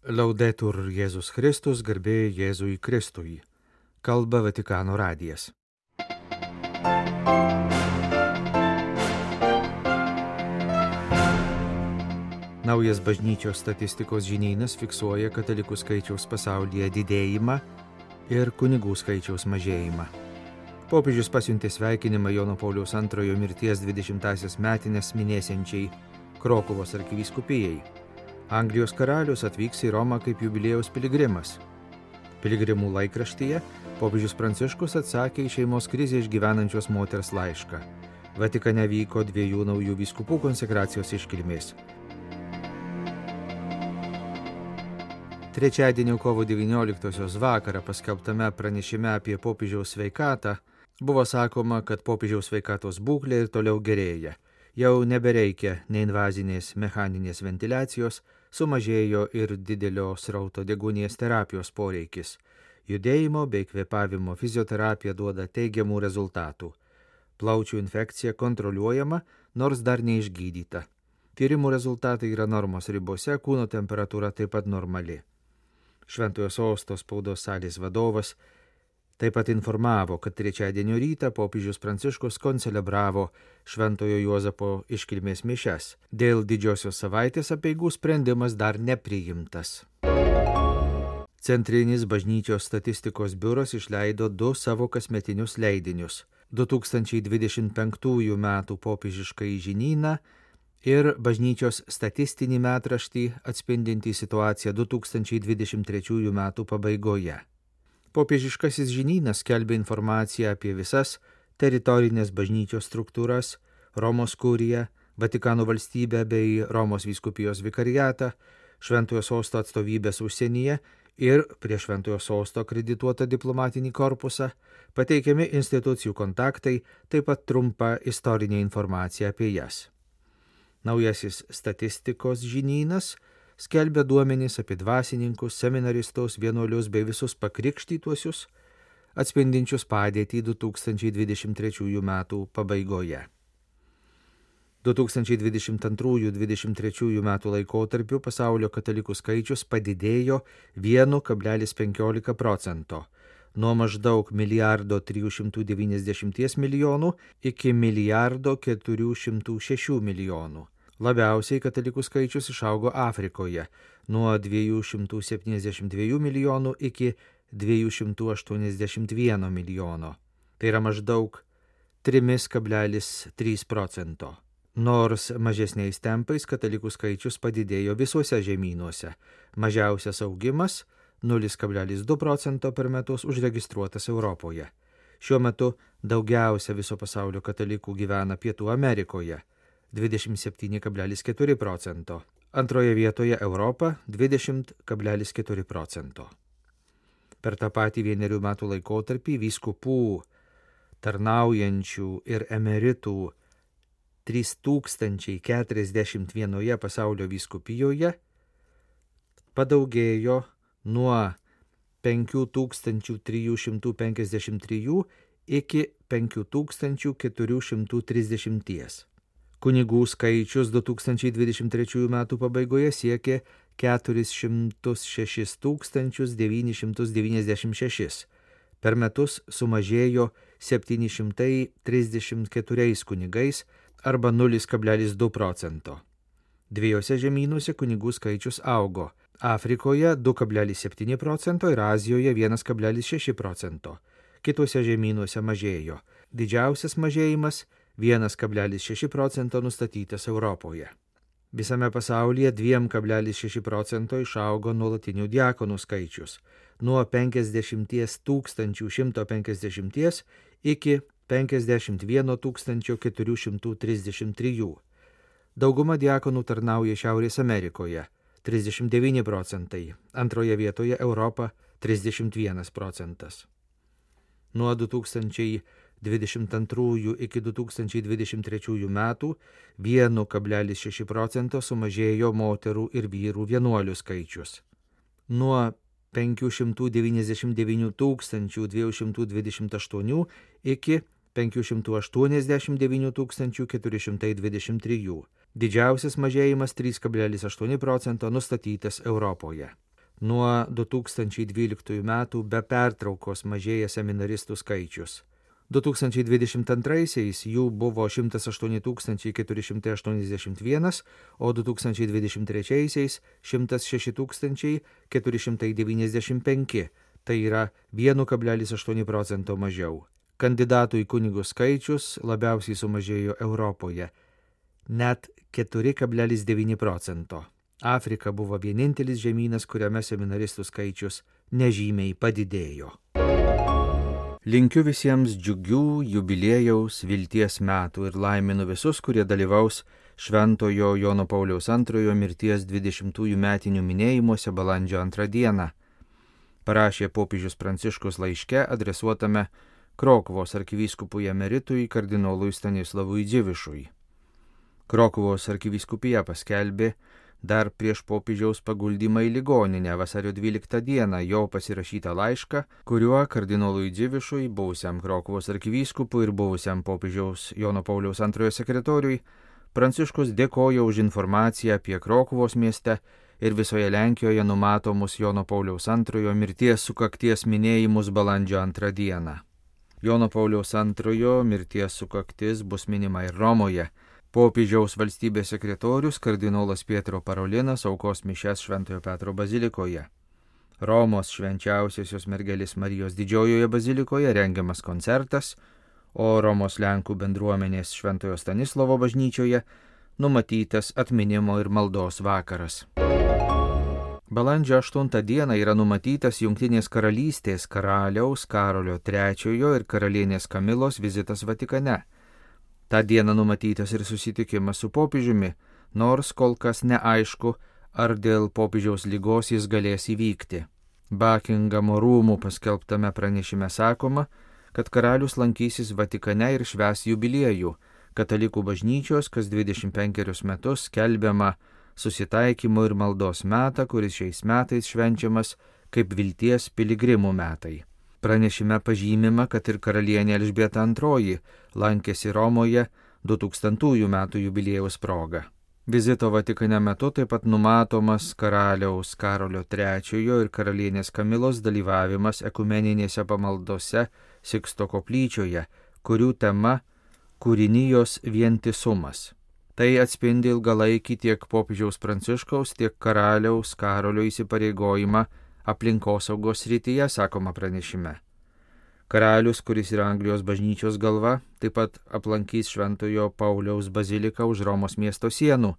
Laudetur Jėzus Kristus, garbė Jėzui Kristui. Kalba Vatikano radijas. Naujas bažnyčios statistikos žinynas fiksuoja katalikų skaičiaus pasaulyje didėjimą ir kunigų skaičiaus mažėjimą. Popiežius pasiuntė sveikinimą Jono Pauliaus II mirties 20-asias metines minėsiančiai Krokuvos arkivyskupijai. Anglijos karalius atvyks į Romą kaip jubiliejaus piligrimas. Piligrimų laikraštyje popiežius Pranciškus atsakė į šeimos krizę išgyvenančios moters laišką. Vatikane vyko 2 naujų vyskupų konsekracijos iškilmės. Trečiadienio kovo 19-osios vakarą paskelbtame pranešime apie popiežiaus sveikatą buvo sakoma, kad popiežiaus sveikatos būklė ir toliau gerėja. Jau nebereikia neinvazinės mechaninės ventiliacijos, sumažėjo ir didelio srauto deguonies terapijos poreikis. Judėjimo bei kvėpavimo fizioterapija duoda teigiamų rezultatų. Plaučių infekcija kontroliuojama, nors dar neišgydyta. Tyrimų rezultatai yra normos ribose, kūno temperatūra taip pat normali. Šventojo Sosto spaudos salės vadovas taip pat informavo, kad trečiadienio rytą popiežius Pranciškus koncelebravo Šventojo Juozapo iškilmės mišias. Dėl didžiosios savaitės apeigų sprendimas dar nepriimtas. Centrinis bažnyčios statistikos biuras išleido 2 savo kasmetinius leidinius – 2025 metų popiežiškąjį žinyną ir bažnyčios statistinį metraštį atspindintį situaciją 2023 metų pabaigoje. Popiežiškasis žinynas skelbia informaciją apie visas teritorinės bažnyčios struktūras, Romos kuriją, Vatikano valstybę bei Romos vyskupijos vikariatą, Šventojo Sosto atstovybės užsienyje ir prie Šventojo Sosto akredituotą diplomatinį korpusą, pateikiami institucijų kontaktai, taip pat trumpa istorinė informacija apie jas. Naujasis statistikos žinynas skelbia duomenys apie dvasininkus, seminaristus, vienuolius bei visus pakrikštytuosius, atspindinčius padėtį 2023 metų pabaigoje. 2022-2023 metų laikotarpiu pasaulio katalikų skaičius padidėjo 1,15%, nuo maždaug 1,390 milijonų iki 1,406 milijonų. Labiausiai katalikų skaičius išaugo Afrikoje nuo 272 milijonų iki 281 milijono. Tai yra maždaug 3,3%. Nors mažesniais tempais katalikų skaičius padidėjo visuose žemynuose. Mažiausias augimas 0,2% per metus užregistruotas Europoje. Šiuo metu daugiausia viso pasaulio katalikų gyvena Pietų Amerikoje. 27,4%. Antroje vietoje Europa 20,4%. Per tą patį 1 metų laikotarpį vyskupų, tarnaujančių ir emeritų 3041 pasaulio vyskupijoje padaugėjo nuo 5353 iki 5430. Kunigų skaičius 2023 metų pabaigoje siekė 406 996. Per metus sumažėjo 734 kunigais arba 0,2%. 2 žemynuose kunigų skaičius augo – Afrikoje 2,7% ir Azijoje 1,6%. Kituose žemynuose mažėjo. Didžiausias mažėjimas 1,6% nustatytas Europoje. Visame pasaulyje 2,6% išaugo nuolatinių diakonų skaičius nuo 50 150 iki 51 433. Dauguma diakonų tarnauja Šiaurės Amerikoje – 39%, antroje vietoje Europa – 31%. Nuo 2022 iki 2023 metų 1,6% sumažėjo moterų ir vyrų vienuolių skaičius. Nuo 599 228 iki 589 423. Didžiausias mažėjimas 3,8% nustatytas Europoje. Nuo 2012 metų be pertraukos mažėja seminaristų skaičius. 2022-aisiais jų buvo 108 481, o 2023-aisiais 106 495, tai yra 1,8 procento mažiau. Kandidatų į kunigus skaičius labiausiai sumažėjo Europoje, net 4,9 procento. Afrika buvo vienintelis žemynas, kuriame seminaristų skaičius nežymiai padidėjo. Linkiu visiems džiugių jubiliejaus vilties metų ir laiminu visus, kurie dalyvaus Šventojo Jono Pauliaus II mirties 20-ųjų metinių minėjimuose balandžio 2 dieną. Parašė popiežius Pranciškus laiške adresuotame Krokuvos arkivyskupui emeritui kardinolui Stanislavui Dzivišui. Krokuvos arkivyskupija paskelbė dar prieš popiežiaus paguldymą į ligoninę vasario 12 dieną jo pasirašytą laišką, kuriuo kardinolui Dzivišui, buvusiam Krokuvos arkivyskupui ir buvusiam popiežiaus Jono Pauliaus II sekretoriui, Pranciškus dėkoja už informaciją apie Krokuvos mieste ir visoje Lenkijoje numatomus Jono Pauliaus II mirties sukakties minėjimus balandžio 2 dieną. Jono Pauliaus II mirties sukaktis bus minima ir Romoje. Popiežiaus valstybės sekretorius kardinolas Pietro Parolinas aukos mišias Šventojo Petro bazilikoje. Romos švenčiausiosios mergelės Marijos didžiojoje bazilikoje rengiamas koncertas, o Romos Lenkų bendruomenės Šventojo Stanislovo bažnyčioje numatytas atminimo ir maldos vakaras. Balandžio 8 dieną yra numatytas Jungtinės karalystės karaliaus Karolio III ir karalienės Kamilos vizitas Vatikane. Ta diena numatytas ir susitikimas su popiežiumi, nors kol kas neaišku, ar dėl popiežiaus ligos jis galės įvykti. Bakingamo rūmų paskelbtame pranešime sakoma, kad karalius lankysis Vatikane ir švęs jubiliejų, katalikų bažnyčios kas 25 metus skelbiama susitaikymo ir maldos metą, kuris šiais metais švenčiamas kaip vilties piligrimų metai. Pranešime pažymima, kad ir karalienė Elžbieta II lankėsi Romoje 2000 metų jubiliejaus proga. Vizito Vatikane metu taip pat numatomas karaliaus Karolio III ir karalienės Kamilos dalyvavimas ekumeninėse pamaldose Siksto koplyčioje, kurių tema kūrinijos vientisumas. Tai atspindi ilgalaikį tiek popiežiaus Pranciškaus, tiek karaliaus Karolio įsipareigojimą aplinkosaugos srityje, sakoma pranešime. Karalius, kuris yra Anglijos bažnyčios galva, taip pat aplankys Šventojo Pauliaus baziliką už Romos miesto sienų,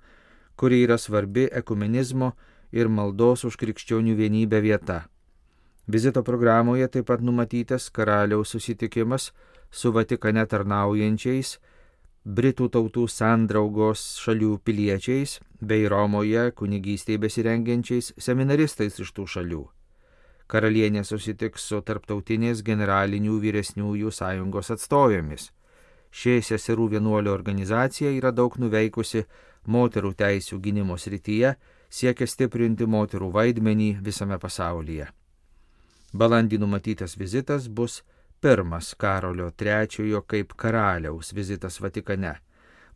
kuri yra svarbi ekumenizmo ir maldos už krikščionių vienybę vieta. Vizito programoje taip pat numatytas karaliaus susitikimas su Vatikane tarnaujančiais Britų tautų sandraugos šalių piliečiais bei Romoje kunigystėje besirengiančiais seminaristais iš tų šalių. Karalienė susitiks su tarptautinės generalinių vyresniųjų sąjungos atstovėmis. Ši seserų vienuolių organizacija yra daug nuveikusi moterų teisių gynimo srityje, siekia stiprinti moterų vaidmenį visame pasaulyje. Balandį numatytas vizitas bus pirmas Karolio III kaip karaliaus vizitas Vatikane.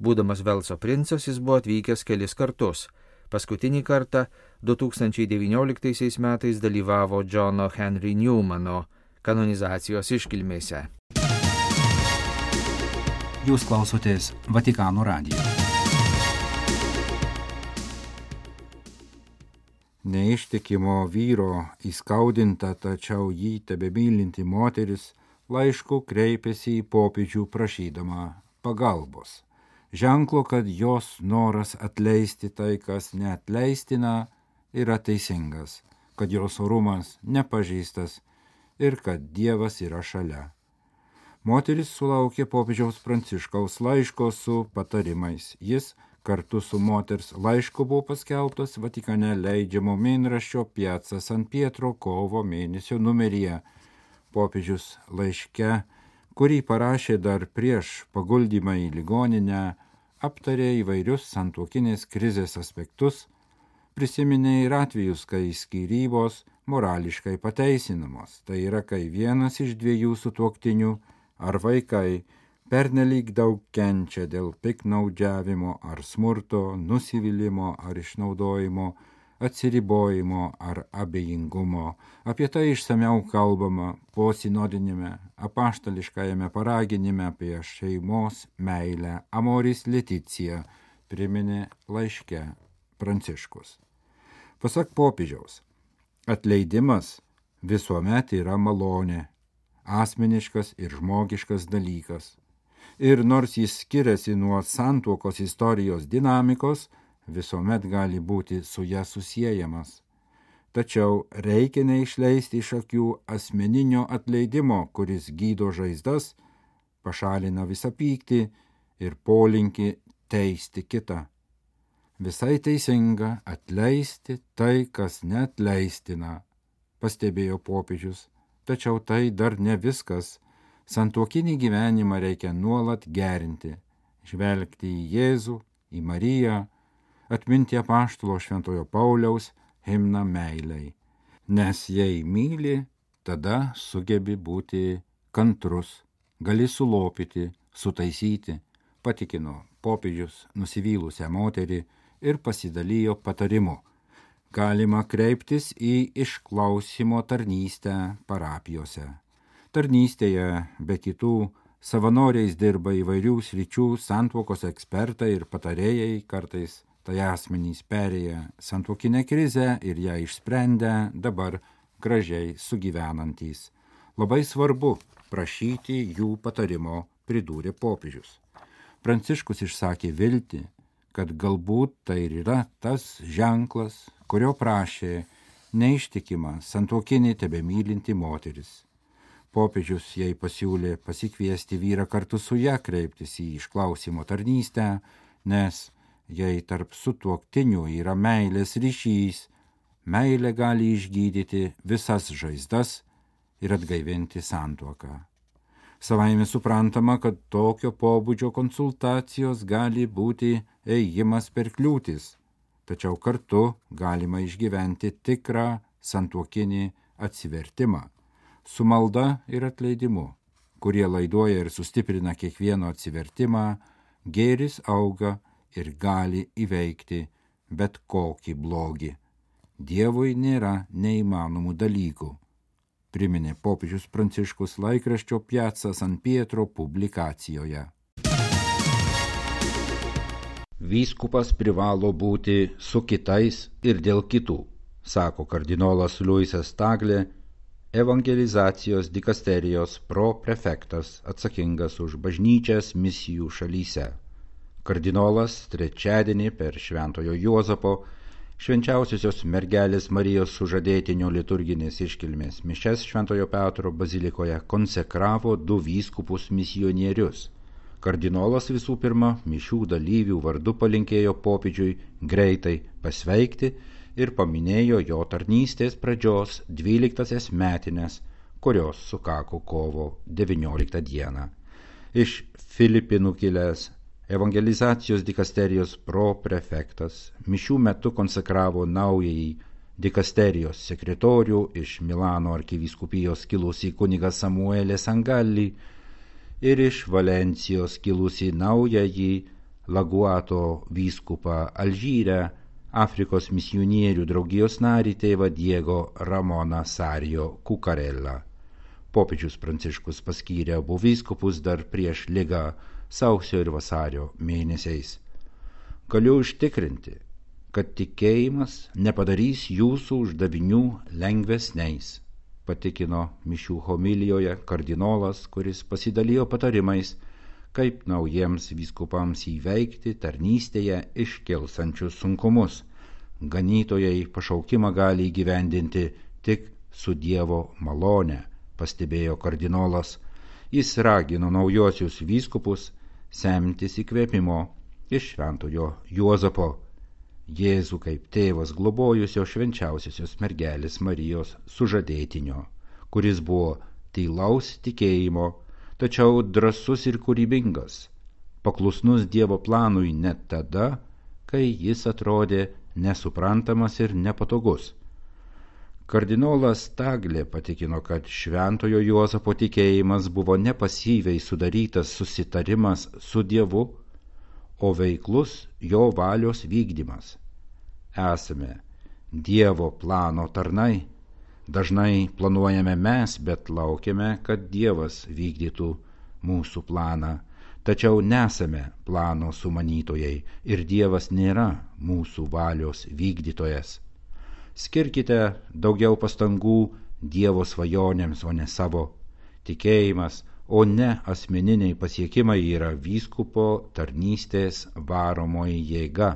Būdamas Velso princas, jis buvo atvykęs kelis kartus. Paskutinį kartą 2019 metais dalyvavo Johno Henry Newmano kanonizacijos iškilmėse. Jūs klausotės Vatikano radijo. Neištikimo vyro įskaudinta, tačiau jį tebemylinti moteris laišku kreipėsi į popiežių prašydama pagalbos. Ženklo, kad jos noras atleisti tai, kas neatleistina, yra teisingas, kad jos orumas nepažeistas ir kad Dievas yra šalia. Moteris sulaukė popiežiaus Pranciškaus laiško su patarimais. Jis kartu su moters laišku buvo paskelbtas Vatikane leidžiamo mėnraščio Piazza San Pietro kovo mėnesio numeryje. Popiežius laiške, kurį parašė dar prieš paguldymą į ligoninę, aptarė įvairius santuokinės krizės aspektus, prisiminė ir atvejus, kai skyrybos morališkai pateisinamos. Tai yra, kai vienas iš dviejų sutuoktinių ar vaikai pernelyg daug kenčia dėl piktnaudžiavimo ar smurto, nusivylimo ar išnaudojimo, atsiribojimo ar abejingumo. Apie tai išsamiau kalbama posinodinėme apaštališkajame paraginime apie šeimos meilę Amoris Laetitia, priminė laiške Pranciškus. Pasak popiežiaus, atleidimas visuomet yra malonė, asmeniškas ir žmogiškas dalykas. Ir nors jis skiriasi nuo santuokos istorijos dinamikos, visuomet gali būti su ja susiejamas. Tačiau reikia neišleisti iš akių asmeninio atleidimo, kuris gydo žaizdas, pašalina visą pyktį ir polinkį teisti kitą. Visai teisinga atleisti tai, kas neatleistina, pastebėjo popiežius, tačiau tai dar ne viskas. Santuokinį gyvenimą reikia nuolat gerinti, žvelgti į Jėzų, į Mariją, atminti apaštalo Šventojo Pauliaus himną meilei. Nes jei myli, tada sugebi būti kantrus, gali sulopyti, sutaisyti, patikino popiežius nusivylusią moterį ir pasidalijo patarimu. Galima kreiptis į išklausimo tarnystę parapijose. Tarnystėje be kitų savanoriais dirba įvairių sričių santuokos ekspertai ir patarėjai, kartais tai asmenys perėję santuokinę krizę ir ją išsprendę, dabar gražiai sugyvenantys. Labai svarbu prašyti jų patarimo, pridūrė popiežius. Pranciškus išsakė viltį, kad galbūt tai ir yra tas ženklas, kurio prašė neištikima santuokinį tebemylinti moteris. Popiežius jai pasiūlė pasikviesti vyrą kartu su ja kreiptis į išklausimo tarnystę, nes jei tarp sutuoktinių yra meilės ryšys, meilė gali išgydyti visas žaizdas ir atgaivinti santuoką. Savaime suprantama, kad tokio pobūdžio konsultacijos gali būti ėjimas per kliūtis, tačiau kartu galima išgyventi tikrą santuokinį atsivertimą. Su malda ir atleidimu, kurie laiduoja ir sustiprina kiekvieno atsivertimą, gėris auga ir gali įveikti bet kokį blogį. Dievui nėra neįmanomų dalykų, priminė popiežius Pranciškus laikraščio Piazza San Pietro publikacijoje. Vyskupas privalo būti su kitais ir dėl kitų, sako kardinolas Luisas Taglė, evangelizacijos dikasterijos proprefektas atsakingas už bažnyčias misijų šalyse. Kardinolas trečiadienį per Šventojo Juozapo Švenčiausiosios mergelės Marijos sužadėtinio liturginės iškilmės mišias Šventojo Petro bazilikoje konsekravo 2 vyskupus misionierius. Kardinolas visų pirma mišių dalyvių vardu palinkėjo popiežiui greitai pasveikti ir paminėjo jo tarnystės pradžios 12 metines, kurios sukako kovo 19 dieną. Iš Filipinų kilęs evangelizacijos dikasterijos proprefektas mišių metu konsekravo naująjį dikasterijos sekretorių iš Milano arkivyskupijos kilusį kunigą Samuelį Sangalli ir iš Valencijos kilusį naująjį Laguato vyskupą Alžyre, Afrikos misionierių draugijos narį tėvą Diego Ramoną Sario Cucarella. Popiežius Pranciškus paskyrė abu vyskupus dar prieš ligą sausio ir vasario mėnesiais. Galiu užtikrinti, kad tikėjimas nepadarys jūsų uždavinių lengvesniais, patikino mišių homilijoje kardinolas, kuris pasidalijo patarimais, kaip naujiems vyskupams įveikti tarnystėje iškilsančius sunkumus. Ganytojai pašaukimą gali įgyvendinti tik su Dievo malone, pastebėjo kardinolas. Jis ragino naujosius vyskupus semtis įkvėpimo iš Šventojo Juozapo, Jėzų kaip tėvas globojusio švenčiausiosios mergelės Marijos sužadėtinio, kuris buvo tylaus tikėjimo, tačiau drąsus ir kūrybingas, paklusnus Dievo planui net tada, kai jis atrodė nesuprantamas ir nepatogus. Kardinolas Taglė patikino, kad Šventojo Juozapo tikėjimas buvo nepasyviai sudarytas susitarimas su Dievu, o veiklus jo valios vykdymas. Esame Dievo plano tarnai. Dažnai planuojame mes, bet laukiame, kad Dievas vykdytų mūsų planą. Tačiau nesame plano sumanytojai ir Dievas nėra mūsų valios vykdytojas. Skirkite daugiau pastangų Dievo svajonėms, o ne savo. Tikėjimas, o ne asmeniniai pasiekimai yra vyskupo tarnystės varomoji jėga.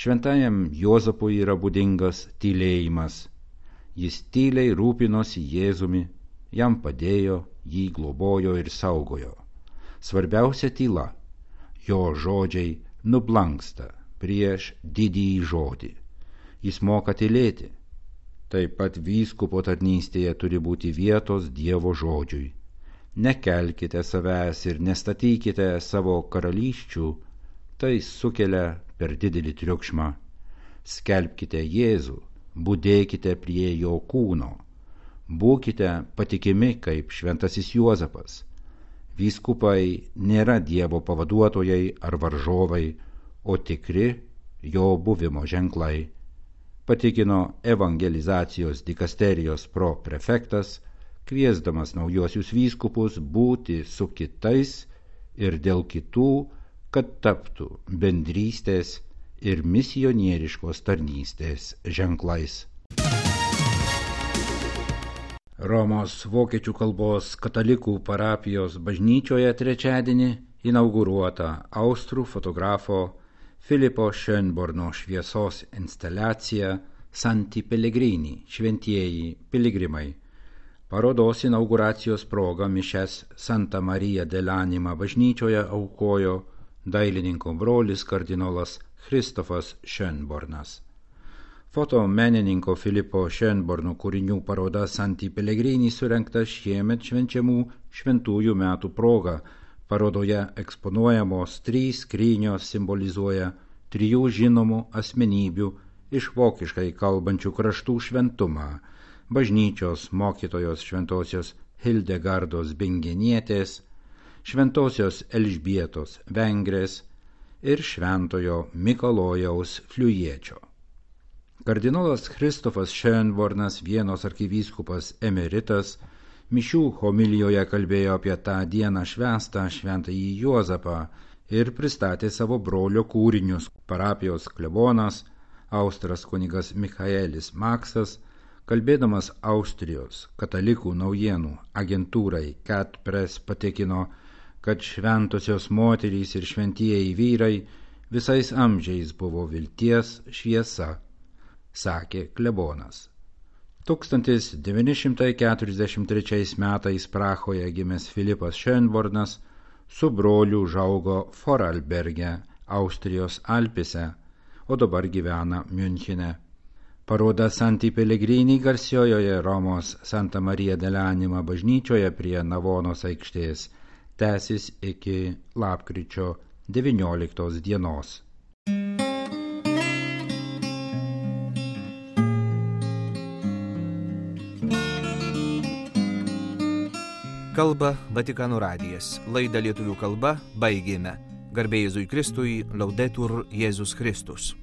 Šventajam Juozapui yra būdingas tylėjimas. Jis tyliai rūpinosi Jėzumi, jam padėjo, jį globojo ir saugojo. Svarbiausia tyla, jo žodžiai nublanksta prieš didįjį žodį. Jis moka tylėti. Taip pat vyskupo tarnystėje turi būti vietos Dievo žodžiui. Nekelkite savęs ir nestatykite savo karalysčių, tai sukelia per didelį triukšmą. Skelbkite Jėzų, budėkite prie jo kūno. Būkite patikimi kaip šventasis Juozapas. Vyskupai nėra Dievo pavaduotojai ar varžovai, o tikri jo buvimo ženklai, patikino evangelizacijos dikasterijos proprefektas, kviesdamas naujuosius vyskupus būti su kitais ir dėl kitų, kad taptų bendrystės ir misionieriškos tarnystės ženklais. Romos vokiečių kalbos katalikų parapijos bažnyčioje trečiadienį inauguruota austrų fotografo Filipo Schönborno šviesos instaliacija Santi Pellegrini – šventieji piligrimai. Parodos inauguracijos proga mišias Santa Marija dell'Anima bažnyčioje aukojo dailininko brolis kardinolas Kristofas Schönbornas. Fotomenininko Filipo Schönborno kūrinių paroda Santi Pellegrini surengta šiemet švenčiamų šventųjų metų proga. Parodoje eksponuojamos 3 skrynios simbolizuoja 3 žinomų asmenybių iš vokiškai kalbančių kraštų šventumą – bažnyčios mokytojos šventosios Hildegardos Bingenietės, šventosios Elžbietos Vengrės ir šventojo Mikalojaus Fliujiečio. Kardinolas Kristofas Schönbornas, Vienos arkivyskupas emeritas, mišių homilijoje kalbėjo apie tą dieną švęstą šventąjį Juozapą ir pristatė savo brolio kūrinius. Parapijos klebonas, austras kunigas Michaelis Maksas, kalbėdamas Austrijos katalikų naujienų agentūrai Cat Press patikino, kad šventosios moterys ir šventieji vyrai visais amžiais buvo vilties šviesa, sakė klebonas. 1943 metais Prahoje gimęs Filipas Schönbornas su broliu užaugo Vorarlberge, Austrijos Alpėse, o dabar gyvena Miunchene. Paroda Santi Pellegrini garsiojoje Romos Santa Marija dell'Anima bažnyčioje prie Navonos aikštės tęsis iki lapkričio 19 dienos. Kalba Vatikano radijas. Laidą lietuvių kalba baigėme. Garbė Jėzui Kristui, Laudetur Jėzus Kristus.